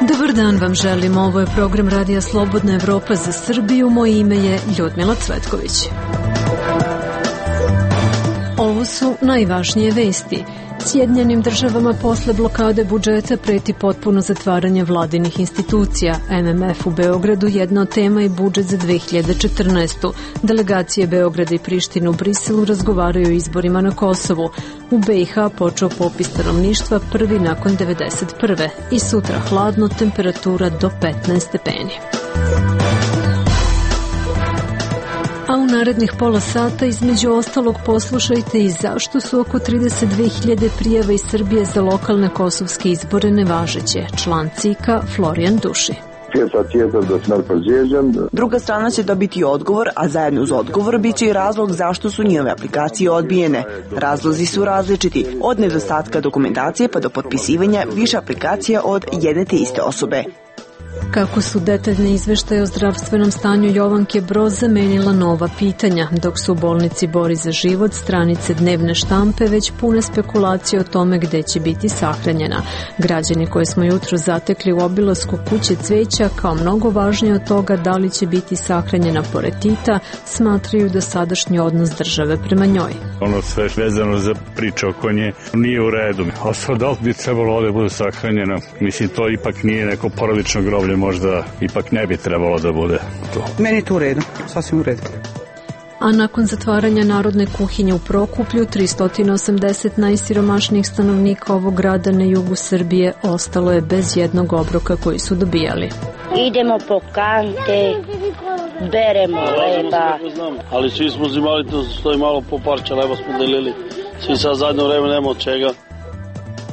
Dobar dan vam želim, ovo je program Radija Slobodna Evropa za Srbiju, moje ime je Ljudmila Cvetković. Ovo su najvažnije vesti. Sjedinjenim državama posle blokade budžeta preti potpuno zatvaranje vladinih institucija. MMF u Beogradu jedna od tema je budžet za 2014. Delegacije Beograda i Prištine u Briselu razgovaraju o izborima na Kosovu. U BiH počeo popis stanovništva prvi nakon 1991. I sutra hladno, temperatura do 15 stepeni. A u narednih pola sata između ostalog poslušajte i zašto su oko 32.000 prijava iz Srbije za lokalne kosovske izbore nevažeće. Član CIK-a Florijan Duši. Druga strana će dobiti odgovor, a zajedno uz odgovor biće i razlog zašto su njihove aplikacije odbijene. Razlozi su različiti, od nedostatka dokumentacije pa do potpisivanja više aplikacija od jedne te iste osobe. Kako su detaljne izveštaje o zdravstvenom stanju Jovanke Broz zamenila nova pitanja, dok su u bolnici Bori za život stranice dnevne štampe već pune spekulacije o tome gde će biti sahranjena. Građani koje smo jutro zatekli u obilasku kuće cveća kao mnogo važnije od toga da li će biti sahranjena pored Tita, smatraju da sadašnji odnos države prema njoj. Ono sve vezano za priču oko nje nije u redu. Ostalo da li bi trebalo ovde bude sahranjena? Mislim, to ipak nije neko porodično groblje, možda ipak ne bi trebalo da bude to. Meni je to u redu, sasvim u redu. A nakon zatvaranja Narodne kuhinje u Prokuplju, 380 najsiromašnijih stanovnika ovog grada na jugu Srbije ostalo je bez jednog obroka koji su dobijali. Idemo po kante, beremo leba. Ali svi smo zimali, to stoji malo po parče leba smo delili. Svi sad zadnje vreme nema od čega.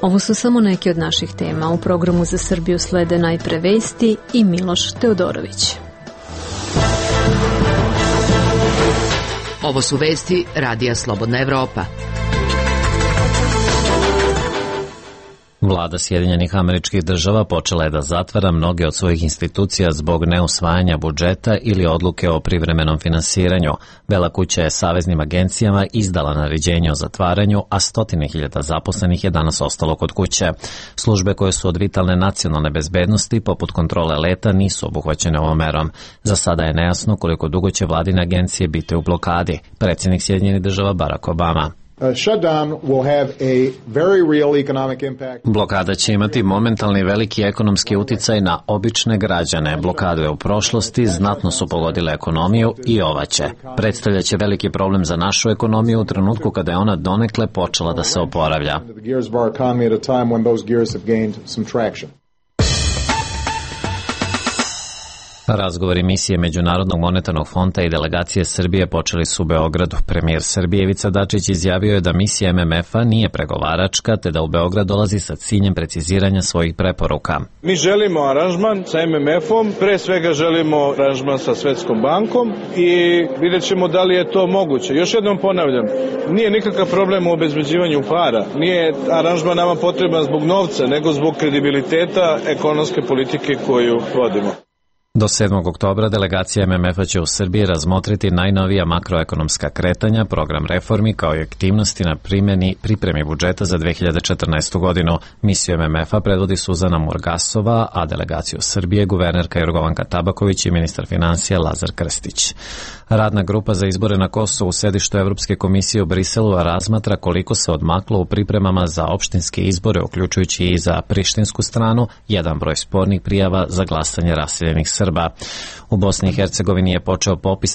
Ovo su samo neke od naših tema. U programu za Srbiju slede najpre vesti i Miloš Teodorović. Ovo su vesti Radija Slobodna Evropa. Vlada Sjedinjenih Američkih Država počela je da zatvara mnoge od svojih institucija zbog neusvajanja budžeta ili odluke o privremenom finansiranju. Bela kuća je saveznim agencijama izdala naređenje o zatvaranju, a 100.000 zaposlenih je danas ostalo kod kuće. Službe koje su od vitalne nacionalne bezbednosti, poput kontrole leta, nisu obuhvaćene ovom merom. Za sada je nejasno koliko dugo će vladine agencije biti u blokadi. Predsjednik Sjedinjenih Država Barack Obama. Blokada će imati momentalni veliki ekonomski uticaj na obične građane. Blokade u prošlosti znatno su pogodile ekonomiju i ova će. Predstavljaće veliki problem za našu ekonomiju u trenutku kada je ona donekle počela da se oporavlja. Razgovori misije Međunarodnog monetarnog fonda i delegacije Srbije počeli su u Beogradu. Premijer Srbije Ivica Dačić izjavio je da misija MMF-a nije pregovaračka, te da u Beograd dolazi sa ciljem preciziranja svojih preporuka. Mi želimo aranžman sa MMF-om, pre svega želimo aranžman sa Svetskom bankom i vidjet ćemo da li je to moguće. Još jednom ponavljam, nije nikakav problem u obezbeđivanju para. Nije aranžman nama potreban zbog novca, nego zbog kredibiliteta ekonomske politike koju vodimo. Do 7. oktobra delegacija MMF-a će u Srbiji razmotriti najnovija makroekonomska kretanja, program reformi kao i aktivnosti na pripremi budžeta za 2014. godinu. Misiju MMF-a predvodi Suzana Murgasova, a delegaciju Srbije guvernerka Jorgovanka Tabaković i ministar finansija Lazar Krstić. Radna grupa za izbore na Kosovu u sedištu Evropske komisije u Briselu razmatra koliko se odmaklo u pripremama za opštinske izbore, uključujući i za prištinsku stranu, jedan broj spornih prijava za glasanje raseljenih Srba. U Bosni i Hercegovini je počeo popis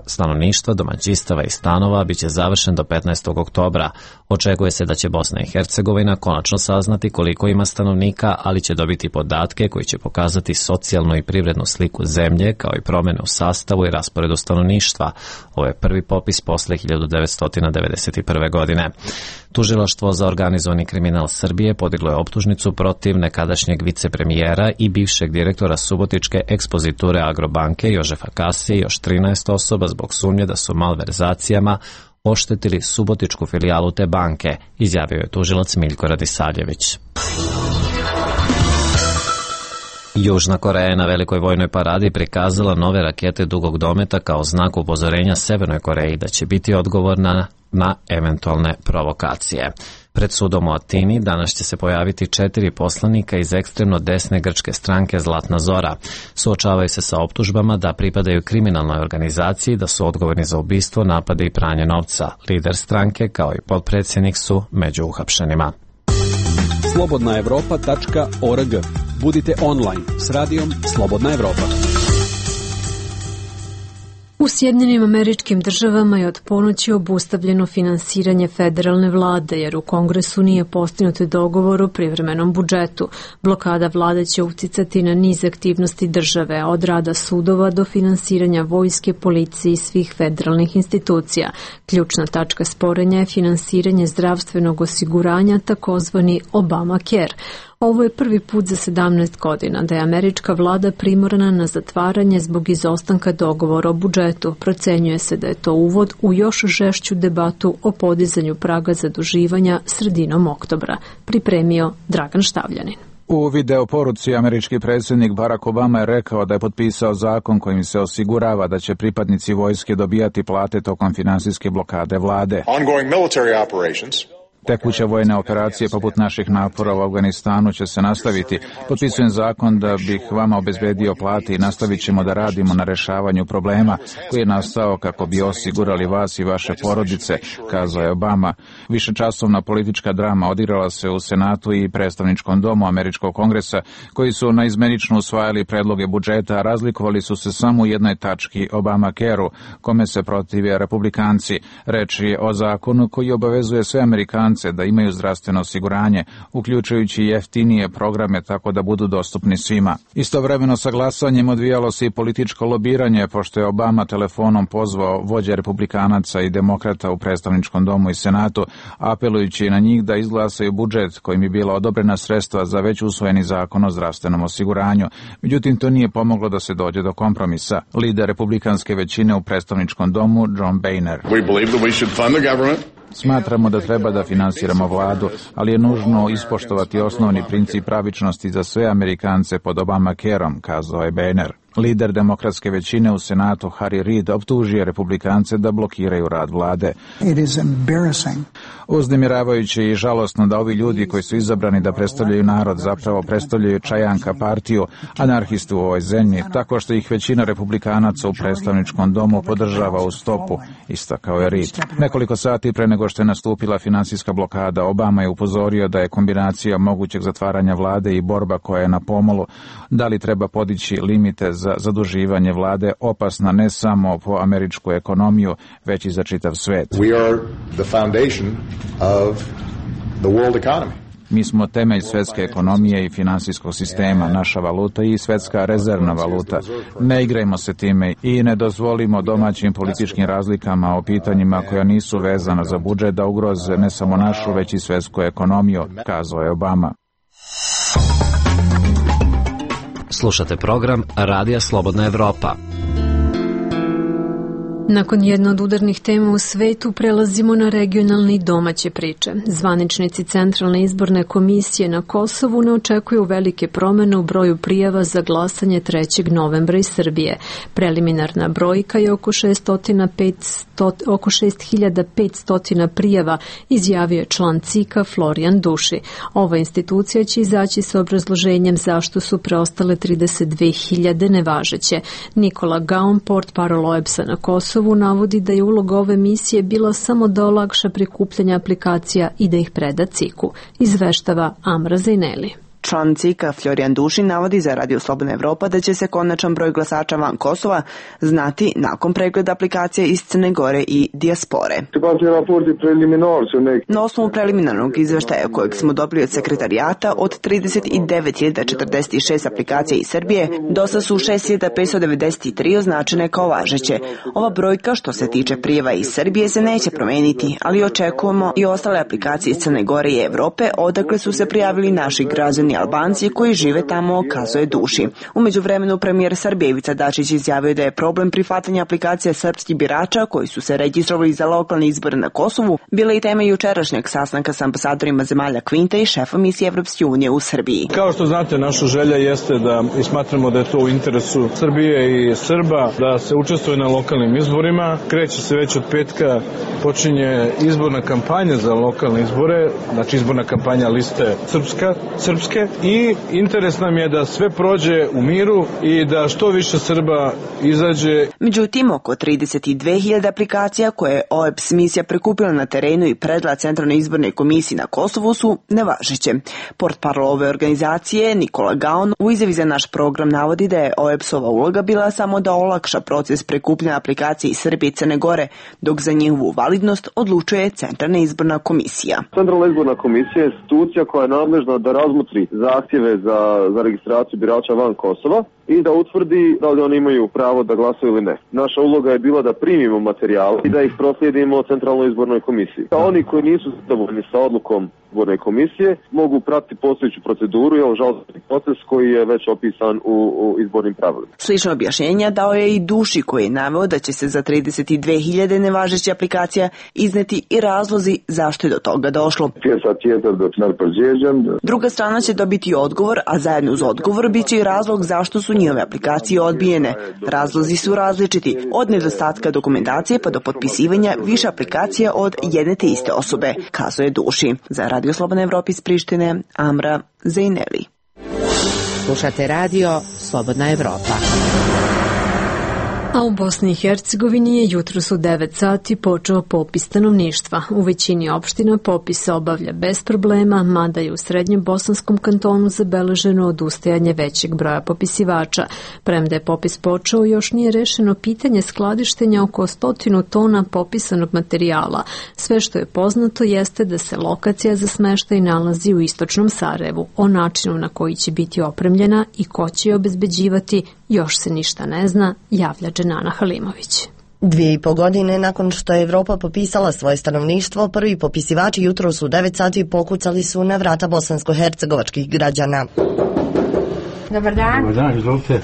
stanovništva, domaćinstava i stanova, biće završen do 15. oktobra. Očekuje se da će Bosna i Hercegovina konačno saznati koliko ima stanovnika, ali će dobiti podatke koji će pokazati socijalnu i privrednu sliku zemlje, kao i promene u sastavu i rasporedu stanovništva. Ovo je prvi popis posle 1991. godine. Tužilaštvo za organizovani kriminal Srbije podiglo je optužnicu protiv nekadašnjeg vicepremijera i bivšeg direktora Subotičke ekspoziture Agrobanke Jožefa Kasije i još 13 osoba zbog sumnje da su malverzacijama oštetili Subotičku filijalu te banke, izjavio je tužilac Miljko Radisavljević. Južna Koreja je na velikoj vojnoj paradi prikazala nove rakete dugog dometa kao znak upozorenja Severnoj Koreji da će biti odgovorna na eventualne provokacije. Pred sudom u Atini danas će se pojaviti 4 poslanika iz ekstremno desne grčke stranke Zlatna Zora. Suočavaju se sa optužbama da pripadaju kriminalnoj organizaciji, da su odgovorni za ubistvo, napade i pranje novca. Lider stranke kao i potpredsjednik su među uhapšenima. slobodnaevropa.org. Budite online s radijom Slobodna Evropa. U Sjedinjenim Američkim Državama je od ponoći obustavljeno finansiranje federalne vlade, jer u Kongresu nije postignut dogovor o privremenom budžetu. Blokada vlade će uticati na niz aktivnosti države, od rada sudova do finansiranja vojske, policije i svih federalnih institucija. Ključna tačka sporenja je finansiranje zdravstvenog osiguranja, takozvani Obamacare. Ovo je prvi put za 17 godina da je američka vlada primorana na zatvaranje zbog izostanka dogovora o budžetu. Procenjuje se da je to uvod u još žešću debatu o podizanju praga zaduživanja sredinom oktobra. Pripremio Dragan Štavljanin. U videoporuci američki predsjednik Barack Obama je rekao da je potpisao zakon kojim se osigurava da će pripadnici vojske dobijati plate tokom finansijske blokade vlade. Tekuće vojne operacije poput naših napora u Afganistanu će se nastaviti. Potpisujem zakon da bih vama obezbedio plate i nastavit ćemo da radimo na rešavanju problema koji je nastao kako bi osigurali vas i vaše porodice, kazao je Obama. Višečasovna politička drama odigrala se u Senatu i predstavničkom domu Američkog kongresa, koji su naizmenično usvajali predloge budžeta, a razlikovali su se samo u jednoj tački, Obamacare-u, kome se protive republikanci. Reč je o zakonu koji obavezuje sve Amerikance da imaju zdravstveno osiguranje, uključujući jeftinije programe tako da budu dostupni svima. Istovremeno sa glasanjem odvijalo se i političko lobiranje, pošto je Obama telefonom pozvao vođe republikanaca i demokrata u predstavničkom domu i Senatu, apelujući na njih da izglasaju budžet kojim je bila odobrena sredstva za već usvojeni zakon o zdravstvenom osiguranju. Međutim, to nije pomoglo da se dođe do kompromisa. Lider republikanske većine u predstavničkom domu, John Boehner. Smatramo da treba da finansiramo vladu, ali je nužno ispoštovati osnovni princip pravičnosti za sve Amerikance pod Obamacare-om, kazao je Boehner. Lider demokratske većine u Senatu Harry Reid optužio republikance da blokiraju rad vlade. Uznemiravajuće i žalosno da ovi ljudi koji su izabrani da predstavljaju narod zapravo predstavljaju Čajanka partiju, anarhistu u ovoj zemlji, tako što ih većina republikanaca u predstavničkom domu podržava u stopu, istakao je Reid. Nekoliko sati pre nego što je nastupila finansijska blokada, Obama je upozorio da je kombinacija mogućeg zatvaranja vlade i borba koja je na pomolu, da li treba podići limite za zaduživanje vlade, opasna ne samo po američku ekonomiju, već i za čitav svet. Mi smo temelj svetske ekonomije i finansijskog sistema, naša valuta i svetska rezervna valuta. Ne igrajmo se time i ne dozvolimo domaćim političkim razlikama o pitanjima koja nisu vezana za budžet da ugroze ne samo našu, već i svetsku ekonomiju, kazao je Obama. Slušate program Radija Slobodna Evropa. Nakon jedne od udarnih tema u svetu prelazimo na regionalne i domaće priče. Zvaničnici Centralne izborne komisije na Kosovu ne očekuju velike promene u broju prijava za glasanje 3. novembra iz Srbije. Preliminarna brojka je oko 6500 prijava, izjavio je član CIK-a Florijan Duši. Ova institucija će izaći sa obrazloženjem zašto su preostale 32.000 nevažeće. Nikola Gaon, portparol OEBS-a na Kosovu, navodi da je uloga ove misije bila samo da olakša prikupljanje aplikacija i da ih preda CIK-u, izveštava Amra Zejneli. Član CIK-a Florijan Duši navodi za Radio Slobodna Evropa da će se konačan broj glasača van Kosova znati nakon pregleda aplikacije iz Crne Gore i dijaspore. Na osnovu preliminarnog izveštaja kojeg smo dobili od sekretarijata, od 39.046 aplikacija iz Srbije, dosta su 6.593 označene kao važeće. Ova brojka što se tiče prijeva iz Srbije se neće promeniti, ali očekujemo i ostale aplikacije iz Crne Gore i Evrope, odakle su se prijavili naši građani brojni Albanci koji žive tamo, kazuje Duši. U međuvremenu premijer Srbije Ivica Dačić izjavio da je problem prihvatanja aplikacija srpskih birača koji su se registrovali za lokalne izbore na Kosovu bila i tema jučerašnjeg sastanka sa ambasadorima zemalja Kvinta i šefom misije Evropske unije u Srbiji. Kao što znate, naša želja jeste da i smatramo da je to u interesu Srbije i Srba da se učestvuje na lokalnim izborima. Kreće se već od petka, počinje izborna kampanja za lokalne izbore, znači izborna kampanja liste srpske i interes nam je da sve prođe u miru i da što više Srba izađe. Međutim, oko 32.000 aplikacija koje je OEBS misija prikupila na terenu i predala Centralnoj izbornoj komisiji na Kosovu su nevažeće. Portparol ove organizacije Nikola Gaon u izjavi za naš program navodi da je OEBS-ova uloga bila samo da olakša proces prikupljanja aplikacije iz Srbije i Crne Gore, dok za njihovu validnost odlučuje Centralna izborna komisija. Centralna izborna komisija je institucija koja je nadležna da razmotri zahtjeve za registraciju birača van Kosova i da utvrdi da li oni imaju pravo da glasaju ili ne. Naša uloga je bila da primimo materijal i da ih proslijedimo Centralnoj izbornoj komisiji. Oni koji nisu zadovoljni sa odlukom izborne komisije mogu pratiti postojeću proceduru i žalbeni proces koji je već opisan u izbornim pravilima. Slično objašnjenja dao je i Duši koji je naveo da će se za 32.000 nevažećih aplikacija izneti i razlozi zašto je do toga došlo. Druga strana će dobiti odgovor, a zajedno uz odgovor biće i razlog zašto su njihove aplikacije odbijene. Razlozi su različiti, od nedostatka dokumentacije pa do potpisivanja više aplikacija od jedne te iste osobe, kazuje Duši. Za Radio Slobodna Evropa iz Prištine, Amra Zejneli. Slušate radio Slobodna Evropa. A u Bosni i Hercegovini je jutros u 9 sati počeo popis stanovništva. U većini opština popis se obavlja bez problema, mada je u srednjem bosanskom kantonu zabeleženo odustajanje većeg broja popisivača. Premda je popis počeo, još nije rešeno pitanje skladištenja oko 100 tona popisanog materijala. Sve što je poznato jeste da se lokacija za smeštaj nalazi u istočnom Sarajevu. O načinu na koji će biti opremljena i ko će je obezbeđivati još se ništa ne zna, javlja Dženana Halimović. 2,5 godine nakon što je Evropa popisala svoje stanovništvo, prvi popisivači jutros u 9 sati pokucali su na vrata bosansko-hercegovačkih građana. Dobar dan. Dobar dan, izvolite.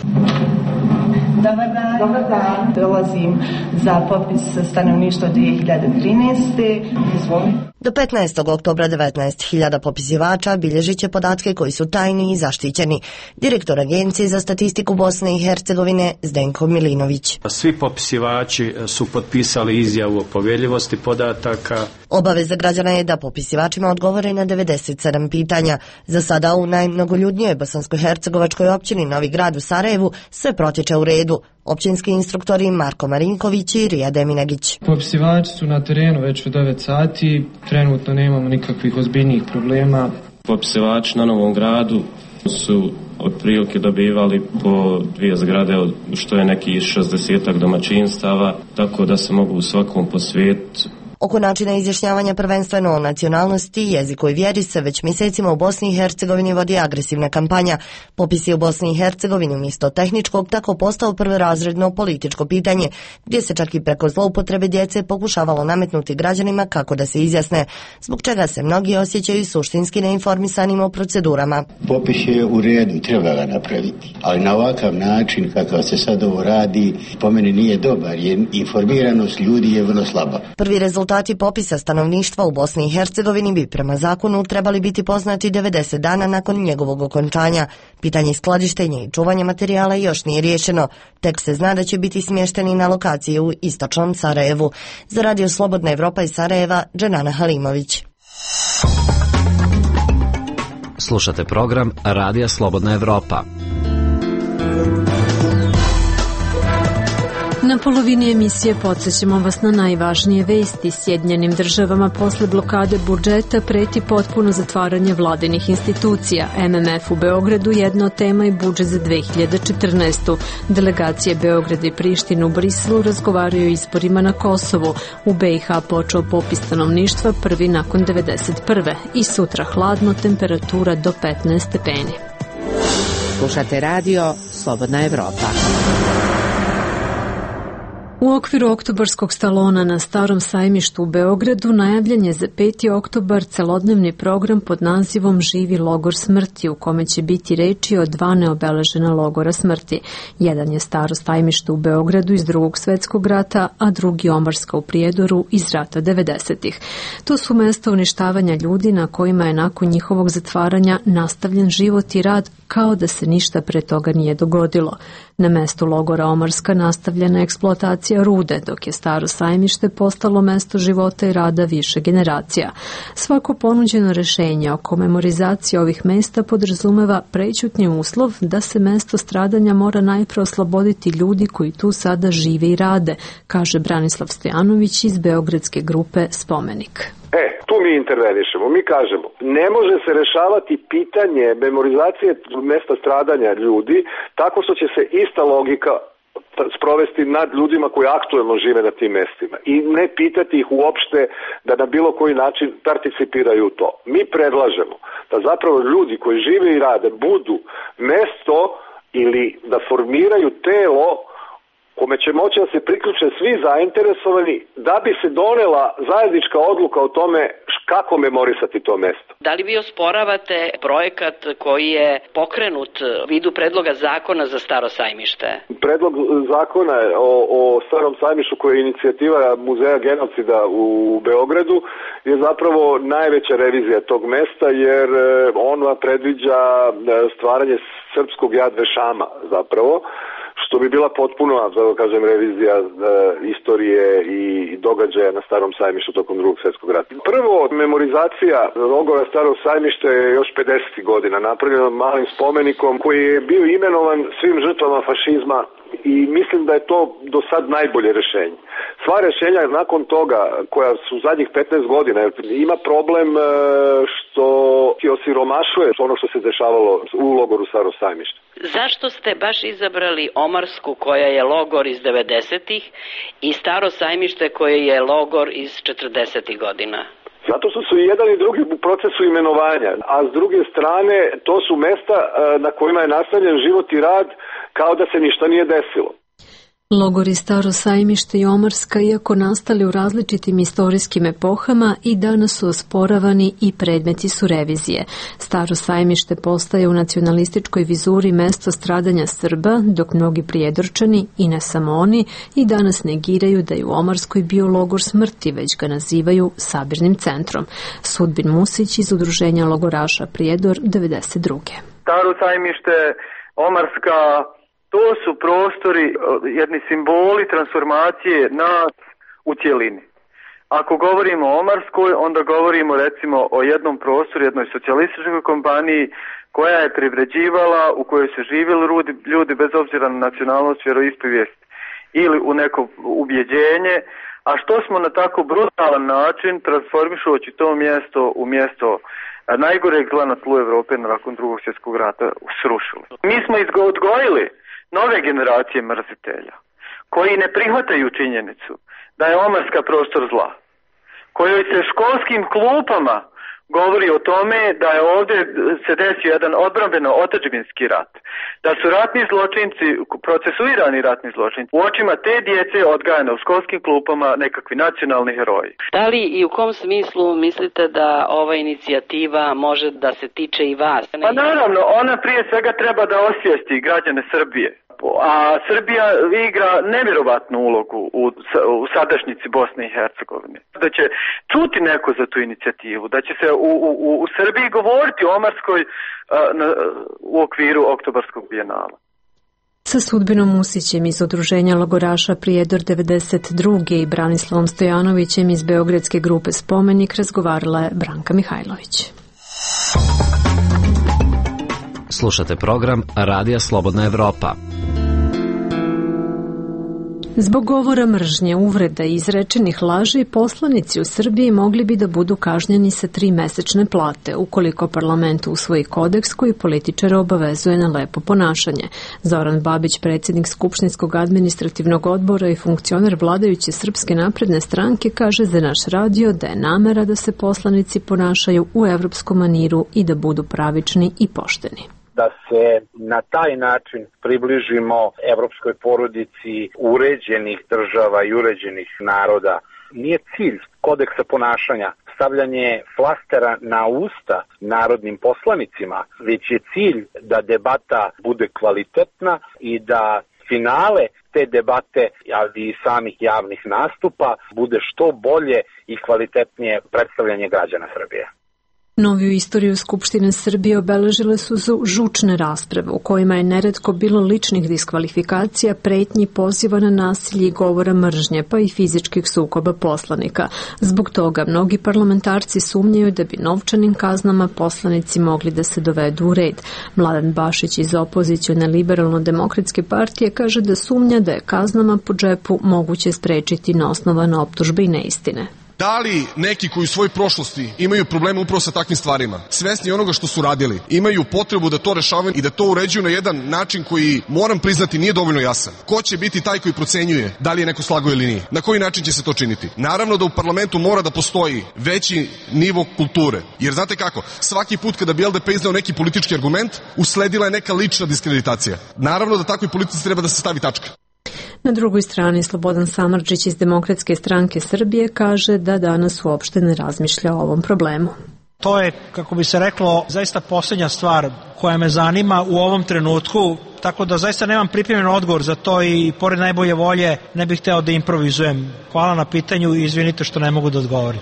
Dobar dan. Dolazim za popis stanovništva 2013. Izvolite. Do 15. oktobra 19.000 popisivača bilježit će podatke koji su tajni i zaštićeni. Direktor Agencije za statistiku Bosne i Hercegovine Zdenko Milinović. Svi popisivači su potpisali izjavu o povjerljivosti podataka. Obaveza građana je da popisivačima odgovore na 97 pitanja. Za sada u najmnogoljudnijoj bosansko-hercegovačkoj općini Novi Grad u Sarajevu sve protječe u redu. Općinski instruktori Marko Marinković i Rija Deminegić. Popisivači su na terenu već u 9 sati, trenutno nemamo nikakvih ozbiljnijih problema. Popisivači na Novom Gradu su otprilike dobivali po 2 zgrade, što je neki 60 domaćinstava, tako da se mogu u svakom posvijetiti. Oko načina izjašnjavanja prvenstveno o nacionalnosti, jeziku i vjeri se već mjesecima u Bosni i Hercegovini vodi agresivna kampanja. Popis je u Bosni i Hercegovini umjesto tehničkog tako postao prvorazredno političko pitanje, gdje se čak i preko zloupotrebe djece pokušavalo nametnuti građanima kako da se izjasne, zbog čega se mnogi osjećaju suštinski neinformisanim o procedurama. Popis je u redu, treba ga napraviti, ali na ovakav način kakav se sad ovo radi, po meni nije dobar, jer informiranost ljudi je vrlo slaba. Prvi rezultati popisa stanovništva u Bosni i Hercegovini bi prema zakonu trebali biti poznati 90 dana nakon njegovog okončanja. Pitanje skladištenja i čuvanja materijala još nije riješeno. Tek se zna da će biti smješteni na lokaciji u istočnom Sarajevu. Za Radio Slobodna Evropa iz Sarajeva, Dženana Halimović. Slušate program Radija Slobodna Evropa. Na polovini emisije podsjećamo vas na najvažnije vesti. Sjedinjenim državama posle blokade budžeta preti potpuno zatvaranje vladinih institucija. MMF u Beogradu jedna od tema i budžet za 2014. Delegacije Beograda i Prištine u Briselu razgovaraju o izborima na Kosovu. U BiH počeo popis stanovništva prvi nakon 1991. I sutra hladno, temperatura do 15 stepeni. Slušate radio Slobodna Evropa. U okviru oktobarskog salona na Starom sajmištu u Beogradu najavljen je za 5. oktobar celodnevni program pod nazivom Živi logor smrti, u kome će biti reči o 2 neobeležena logora smrti. Jedan je Staro sajmište u Beogradu iz Drugog svetskog rata, a drugi Omarska u Prijedoru iz rata 90-ih. To su mesta uništavanja ljudi na kojima je nakon njihovog zatvaranja nastavljen život i rad kao da se ništa pre toga nije dogodilo. Na mestu logora Omarska nastavljena eksploatacija rude, dok je Staro sajmište postalo mesto života i rada više generacija. Svako ponuđeno rešenje oko memorizacije ovih mesta podrazumeva prećutni uslov da se mesto stradanja mora najpre osloboditi ljudi koji tu sada žive i rade, kaže Branislav Stojanović iz beogradske grupe Spomenik. Tu mi intervenišemo, mi kažemo, ne može se rešavati pitanje memorizacije mesta stradanja ljudi tako što će se ista logika sprovesti nad ljudima koji aktuelno žive na tim mestima i ne pitati ih uopšte da na bilo koji način participiraju u to. Mi predlažemo da zapravo ljudi koji žive i rade budu mesto ili da formiraju telo kome će moći da se priključe svi zainteresovani da bi se donela zajednička odluka o tome kako memorisati to mesto. Da li vi osporavate projekat koji je pokrenut u vidu predloga zakona za Staro sajmište? Predlog zakona o Starom sajmištu koja je inicijativa Muzeja genocida u Beogradu je zapravo najveća revizija tog mesta jer on predviđa stvaranje srpskog Jad Vešama zapravo, što bi bila potpuno, da kažem, revizija istorije i događaja na Starom sajmištu tokom Drugog svjetskog rata. Prvo, memorizacija logora Starog sajmišta je još 50. godina napravljena malim spomenikom koji je bio imenovan svim žrtvama fašizma i mislim da je to do sad najbolje rešenje. Sva rešenja nakon toga, koja su zadnjih 15 godina, ima problem što osiromašuje ono što se dešavalo u logoru Staro sajmište. Zašto ste baš izabrali Omarsku koja je logor iz 90-ih i Staro sajmište koje je logor iz 40-ih godina? Zato što su i jedan i drugi u procesu imenovanja, a s druge strane to su mesta na kojima je nastavljen život i rad kao da se ništa nije desilo. Logori Staro sajmište i Omarska, iako nastali u različitim istorijskim epohama, i danas su osporavani i predmeti su revizije. Staro sajmište postaje u nacionalističkoj vizuri mesto stradanja Srba, dok mnogi Prijedorčani, i ne samo oni, i danas negiraju da je u Omarskoj bio logor smrti, već ga nazivaju sabirnim centrom. Sudbin Musić iz udruženja logoraša Prijedor 92. Staro sajmište, Omarska, to su prostori, jedni simboli transformacije nas u cjelini. Ako govorimo o Omarskoj, onda govorimo recimo o jednom prostoru, jednoj socijalističkoj kompaniji koja je privređivala, u kojoj su živjeli ljudi bez obzira na nacionalnost, vjeroispovijest ili u neko ubjeđenje, a što smo na tako brutalan način transformišujući to mjesto u mjesto najgoreg zla na tlu Evrope nakon Drugog svjetskog rata srušili. Mi smo odgojili nove generacije mrzitelja, koji ne prihvataju činjenicu da je Omarska prostor zla, kojoj se školskim klupama govori o tome da je ovdje se desio jedan odbrambeno-otadžbinski rat, da su ratni zločinci, procesuirani ratni zločinci, u očima te djece odgajane u školskim klupama nekakvi nacionalni heroji. Da li i u kom smislu mislite da ova inicijativa može da se tiče i vas? Pa naravno, ona prije svega treba da osvijesti građane Srbije. A Srbija igra nevjerovatnu ulogu u sadašnjici Bosne i Hercegovine. Da će čuti neko za tu inicijativu, da će se u Srbiji govoriti o Omarskoj u okviru Oktobarskog bijenala. Sa Sudbinom Musićem iz udruženja logoraša Prijedor 92. i Branislavom Stojanovićem iz beogradske grupe Spomenik razgovarala je Branka Mihajlović. Slušate program Radija Slobodna Evropa. Zbog govora mržnje, uvreda i izrečenih laži, poslanici u Srbiji mogli bi da budu kažnjeni sa 3 mesečne plate, ukoliko parlament usvoji kodeks koji političare obavezuje na lepo ponašanje. Zoran Babić, predsjednik Skupštinskog administrativnog odbora i funkcioner vladajuće Srpske napredne stranke, kaže za naš radio da je namera da se poslanici ponašaju u evropskom maniru i da budu pravični i pošteni. da se na taj način približimo evropskoj porodici uređenih država i uređenih naroda. Nije cilj kodeksa ponašanja stavljanje flastera na usta narodnim poslanicima, već je cilj da debata bude kvalitetna i da finale te debate, ali i samih javnih nastupa, bude što bolje i kvalitetnije predstavljanje građana Srbije. Noviju istoriju Skupštine Srbije obeležile su žučne rasprave u kojima je neretko bilo ličnih diskvalifikacija, pretnji, poziva na nasilje i govora mržnje, pa i fizičkih sukoba poslanika. Zbog toga mnogi parlamentarci sumnjaju da bi novčanim kaznama poslanici mogli da se dovedu u red. Mladen Bašić iz opozicione Liberalno-demokratske partije kaže da sumnja da je kaznama po džepu moguće sprečiti neosnovane optužbe i neistine. Da li neki koji u svojoj prošlosti imaju probleme upravo sa takvim stvarima, svesni onoga što su radili, imaju potrebu da to rešavaju i da to uređuju na jedan način koji, moram priznati, nije dovoljno jasan? Ko će biti taj koji procenjuje da li je neko slagao ili nije? Na koji način će se to činiti? Naravno da u parlamentu mora da postoji veći nivo kulture. Jer znate kako, svaki put kada bi LDP izneo neki politički argument, usledila je neka lična diskreditacija. Naravno da takvoj politici treba da se stavi tačka. Na drugoj strani Slobodan Samardžić iz Demokratske stranke Srbije kaže da danas uopšte ne razmišlja o ovom problemu. To je, kako bi se reklo, zaista posljednja stvar koja me zanima u ovom trenutku, tako da zaista nemam pripremljen odgovor za to i pored najbolje volje ne bih hteo da improvizujem. Hvala na pitanju i izvinite što ne mogu da odgovorim.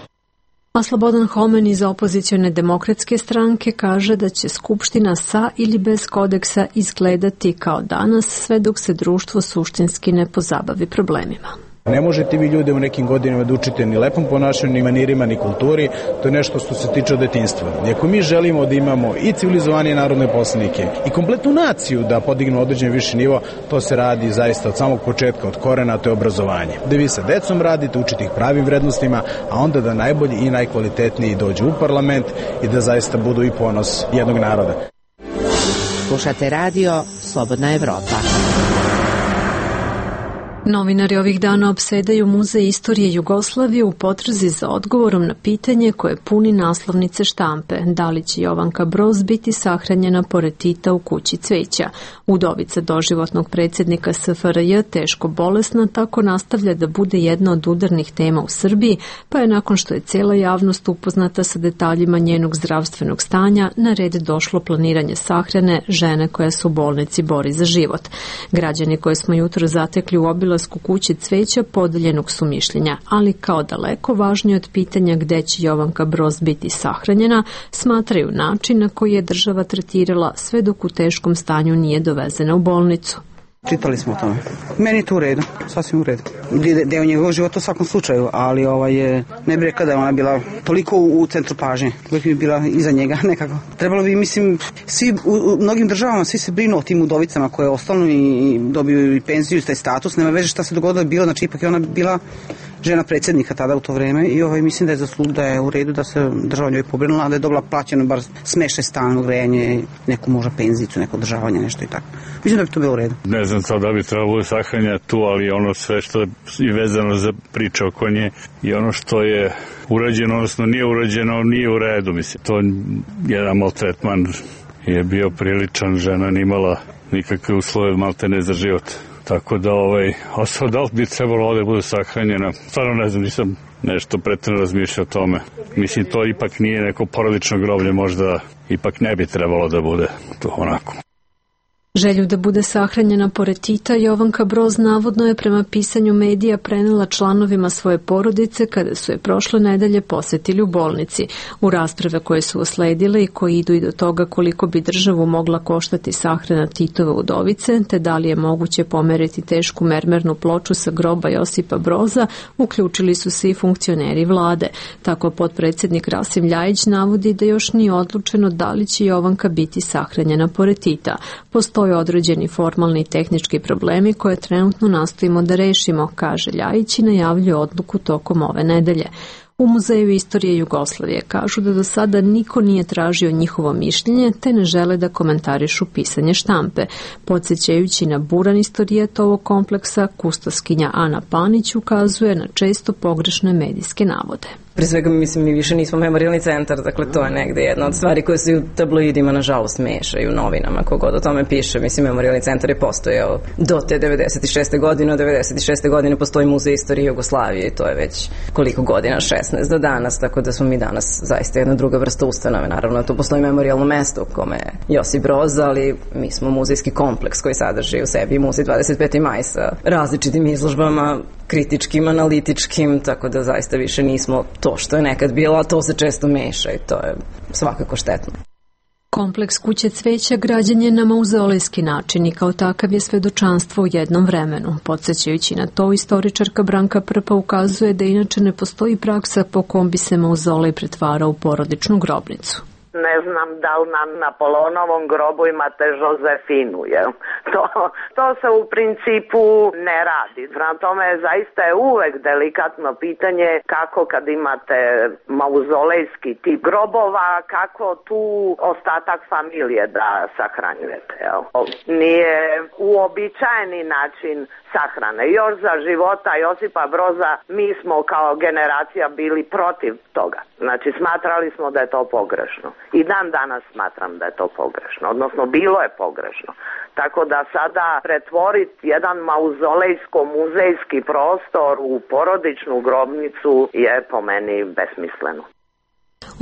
A Slobodan Homen iz opozicione Demokratske stranke kaže da će Skupština sa ili bez kodeksa izgledati kao danas sve dok se društvo suštinski ne pozabavi problemima. Ne možete vi ljude u nekim godinama da učite ni lepom ponašanju, ni manirima, ni kulturi, to je nešto što se tiče od detinjstva. I ako mi želimo da imamo i civilizovanije narodne poslanike i kompletnu naciju da podignemo određen viši nivo, to se radi zaista od samog početka, od korena, to je obrazovanje. Da vi sa decom radite, učite ih pravim vrednostima, a onda da najbolji i najkvalitetniji dođu u parlament i da zaista budu i ponos jednog naroda. Slušate radio Slobodna Evropa. Novinari ovih dana opsedaju Muzej istorije Jugoslavije u potrazi za odgovorom na pitanje koje puni naslovnice štampe. Da li će Jovanka Broz biti sahranjena pored Tita u kući cveća? Udovica doživotnog predsjednika SFRJ, teško bolesna, tako nastavlja da bude jedna od udarnih tema u Srbiji, pa je nakon što je cela javnost upoznata sa detaljima njenog zdravstvenog stanja, na red došlo planiranje sahrane žene koja se u bolnici bori za život. Građani koje smo jutro zatekli u obilasku kuće cveća podeljenog su mišljenja, ali kao daleko važnije od pitanja gde će Jovanka Broz biti sahranjena, smatraju način na koji je država tretirala sve dok u teškom stanju nije dovezena u bolnicu. Čitali smo o tome. Meni je to u redu, sasvim u redu. Deo njegovog života u svakom slučaju, ali ne bih rekla da je ona bila toliko u centru pažnje. Uvijek bi bila iza njega nekako. Trebalo bi, mislim, svi u mnogim državama svi se brinu o tim udovicama koje ostanu i dobiju i penziju i taj status. Nema veze šta se dogodilo bilo, znači ipak je ona bila žena predsjednika tada u to vreme i mislim da je u redu da se država njoj pobrinula, da je dobila plaćeno bar smeštaj, stan, grejanje, neku možda penzicu, neko održavanje, nešto i tako. Mislim da bi to bilo u redu. Ne znam sad da bi trebalo sahranja tu, ali ono sve što je vezano za priče oko nje i ono što je urađeno, odnosno nije urađeno, nije u redu. Mislim, to jedan maltretman je bio priličan, žena nije imala nikakve uslove maltene za život. Tako da, da li bi trebalo ovde bude sahranjena? Stvarno ne znam, nisam nešto pretredno razmišljao o tome. Mislim, to ipak nije neko porodično groblje, možda ipak ne bi trebalo da bude to onako. Želju da bude sahranjena pored Tita, Jovanka Broz navodno je prema pisanju medija prenela članovima svoje porodice kada su je prošle nedelje posetili u bolnici. U rasprave koje su usledile i koji idu i do toga koliko bi državu mogla koštati sahrana Titove udovice, te da li je moguće pomeriti tešku mermernu ploču sa groba Josipa Broza, uključili su se i funkcioneri vlade. Tako potpredsjednik Rasim Ljajić navodi da još nije odlučeno da li će Jovanka biti sahranjena pored Tita. Postoje određeni formalni i tehnički problemi koje trenutno nastojimo da rešimo, kaže Ljajić i najavljuje odluku tokom ove nedelje. U Muzeju istorije Jugoslavije kažu da do sada niko nije tražio njihovo mišljenje te ne žele da komentarišu pisanje štampe. Podsjećajući na buran istorijat ovog kompleksa, kustoskinja Ana Panić ukazuje na često pogrešne medijske navode. Pre svega, mislim, mi više nismo memorijalni centar, dakle to je negde jedna od stvari koje se u tabloidima nažalost mešaju, u novinama, kogod o tome piše. Mislim, memorijalni centar je postojao do te 96. godine, od 96. godine postoji Muzej istorije Jugoslavije i to je već koliko godina, 16 do danas, tako da smo mi danas zaista jedna druga vrsta ustanove. Naravno, tu postoji memorijalno mesto u kome je Josip Broz, ali mi smo muzejski kompleks koji sadrži u sebi Muzej 25. maj sa različitim izložbama, kritičkim, analitičkim, tako da zaista više nismo to što je nekad bilo, a to se često meša i to je svakako štetno. Kompleks Kuće cveća građen je na mauzolejski način i kao takav je svedočanstvo u jednom vremenu. Podsjećajući na to, istoričarka Branka Prpa ukazuje da inače ne postoji praksa po kom bi se mauzolej pretvarao u porodičnu grobnicu. Ne znam da li na Napoleonovom grobu imate Josefinu, jel? To se u principu ne radi. Prema tome, zaista je uvek delikatno pitanje kako kad imate mauzolejski tip grobova, kako tu ostatak familije da sahranjujete, jel? Nije uobičajeni način sahrane. Još za života Josipa Broza mi smo kao generacija bili protiv toga. Znači, smatrali smo da je to pogrešno. I dan danas smatram da je to pogrešno, odnosno bilo je pogrešno. Tako da sada pretvoriti jedan mauzolejsko-muzejski prostor u porodičnu grobnicu je po meni besmisleno.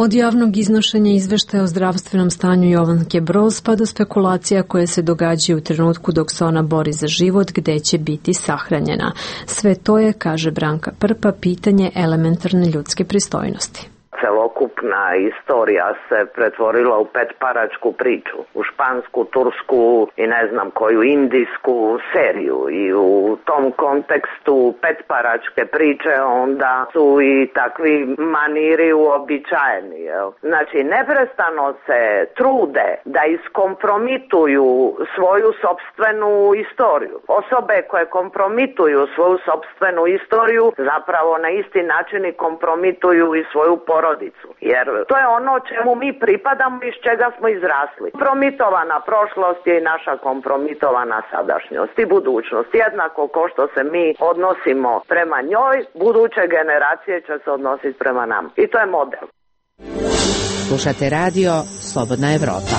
Od javnog iznošenja izveštaja o zdravstvenom stanju Jovanke Broz pa do spekulacija koje se događaju u trenutku dok se ona bori za život gde će biti sahranjena. Sve to je, kaže Branka Prpa, pitanje elementarne ljudske pristojnosti. Celokupna istorija se pretvorila u petparačku priču, u špansku, tursku i ne znam koju indijsku seriju i u tom kontekstu petparačke priče onda su i takvi maniri uobičajeni. Znači, neprestano se trude da iskompromituju svoju sopstvenu istoriju. Osobe koje kompromituju svoju sopstvenu istoriju zapravo na isti način i kompromituju i svoju porodicu. Jer to je ono čemu mi pripadamo i iz čega smo izrasli. Kompromitovana prošlost je i naša kompromitovana sadašnjost i budućnost. Jednako ko što se mi odnosimo prema njoj, buduće generacije će se odnositi prema nam. I to je model. Slušate radio Slobodna Evropa.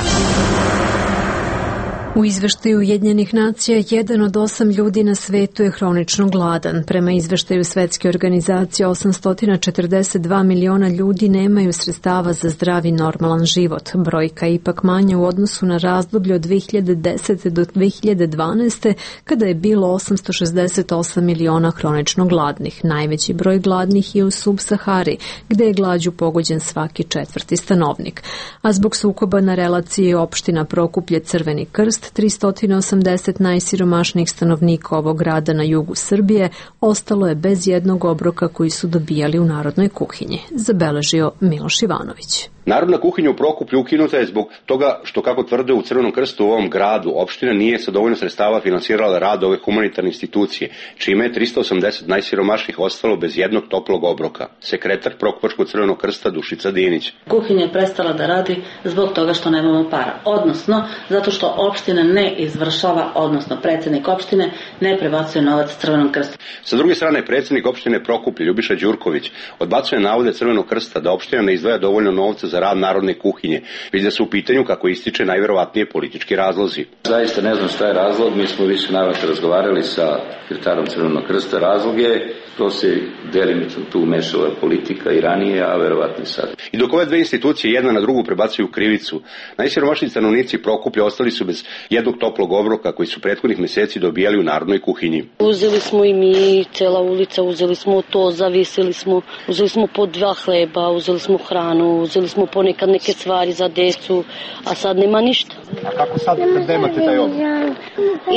U izveštaju Ujedinjenih nacija 1 od 8 ljudi na svetu je hronično gladan. Prema izveštaju Svetske organizacije 842 miliona ljudi nemaju sredstava za zdrav i normalan život. Brojka je ipak manja u odnosu na razdoblje od 2010. do 2012. kada je bilo 868 miliona hronično gladnih. Najveći broj gladnih je u Sub-Sahari, gde je glađu pogođen svaki 4. stanovnik. A zbog sukoba na relaciji opština Prokuplje Crveni krst, 380 najsiromašnijih stanovnika ovog grada na jugu Srbije ostalo je bez jednog obroka koji su dobijali u narodnoj kuhinji, zabeležio Miloš Ivanović. Narodna kuhinja u Prokuplju ukinuta je zbog toga što, kako tvrde u Crvenom krstu u ovom gradu, opština nije sa dovoljno sredstava finansirala rad ove humanitarne institucije, čime je 380 najsiromašnijih ostalo bez jednog toplog obroka. Sekretar Prokupačkog Crvenog krsta Dušica Dinić. Kuhinja je prestala da radi zbog toga što nemamo para, odnosno zato što opština ne izvršava, odnosno predsjednik opštine ne prebacuje novac Crvenom krstu. Sa druge strane, predsjednik opštine Prokuplje Ljubiša Đurković odbacuje navode Crvenog krsta da opština ne izdvaja dovoljno novca za rad narodne kuhinje, već da su u pitanju, kako ističe, najverovatnije politički razlozi. Zaista ne znam šta je razlog, mi smo više navrata razgovarali sa sekretarom Crvenog krsta. Razlog je, to se delimično tu umešala politika i ranije, a verovatno i sad. I dok ove dve institucije jedna na drugu prebacuju krivicu, najsiromašniji stanovnici Prokuplja ostali su bez jednog toplog obroka koji su prethodnih meseci dobijali u narodnoj kuhinji. Uzeli smo i mi, cela ulica, uzeli smo to, zavisili smo, uzeli smo po 2 hleba, uzeli smo hranu, uzeli smo ponekad neke stvari za decu, a sad nema ništa. A kako sad kad nemate taj obrok?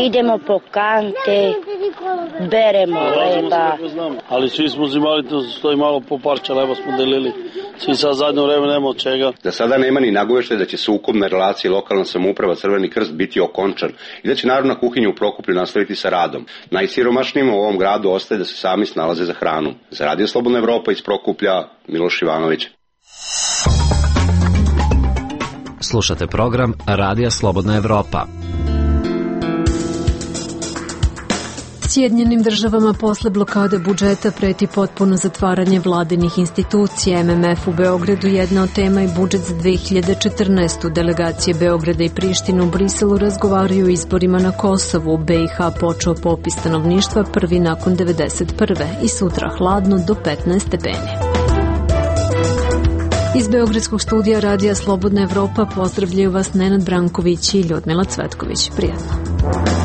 Idemo po kante, beremo leba. Ali svi smo uzimali, to stoji malo po parče leba smo delili. Svi sad zadnje vreme nema od čega. Da sada nema ni nagoveštaja da će se ukupna relacija lokalna samouprava Crveni krst biti okončan i da će Narodna kuhinja u Prokuplju nastaviti sa radom. Najsiromašnijima u ovom gradu ostaje da se sami snalaze za hranu. Za Radio Slobodna Evropa iz Prokuplja, Miloš Ivanović. Slušate program Radija Slobodna Evropa. Sjedinjenim državama posle blokade budžeta preti potpuno zatvaranje vladinih institucija. MMF u Beogradu jedna od tema i budžet za 2014. Delegacije Beograda i Prištine u Briselu razgovaraju o izborima na Kosovu. U BiH počeo popis stanovništva prvi nakon 1991. i sutra hladno do 15 stepeni. Iz Beogradskog studija Radija Slobodna Evropa pozdravljaju vas Nenad Branković i Ljudmila Cvetković. Prijatno.